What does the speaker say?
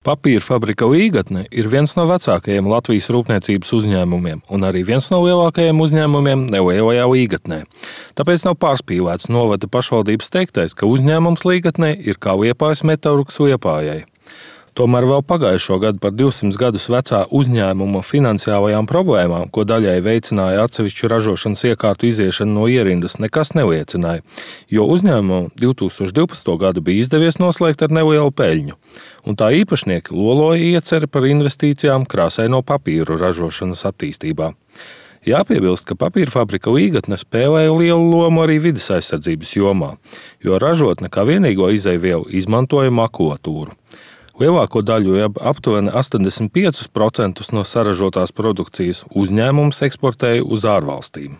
Papīra fabrika Līgatne ir viens no vecākajiem Latvijas rūpniecības uzņēmumiem un arī viens no lielākajiem uzņēmumiem Nelielajā Līgatnē. Tāpēc nav pārspīlēts novada pašvaldības teiktais, ka uzņēmums Līgatnē ir kā Liepājas Metalurgs Liepājai. Tomēr vēl pagājušo gadu par 200 gadus vecā uzņēmuma finansiālajām problēmām, ko daļai veicināja atsevišķu ražošanas iekārtu iziešana no ierindas, nekas neliecināja, jo uzņēmumam 2012. gadu bija izdevies noslēgt ar nelielu peļņu, un tā īpašnieki loloja ieceri par investīcijām krāsaino papīru ražošanas attīstībā. Jāpiebilst, ka papīra fabrika Līgatne spēlēja lielu lomu arī vides aizsardzības jomā, jo ražotne kā vienīgo izejvielu izmantoja makulatūru. Lielāko daļu, aptuveni 85% no saražotās produkcijas uzņēmums eksportēja uz ārvalstīm.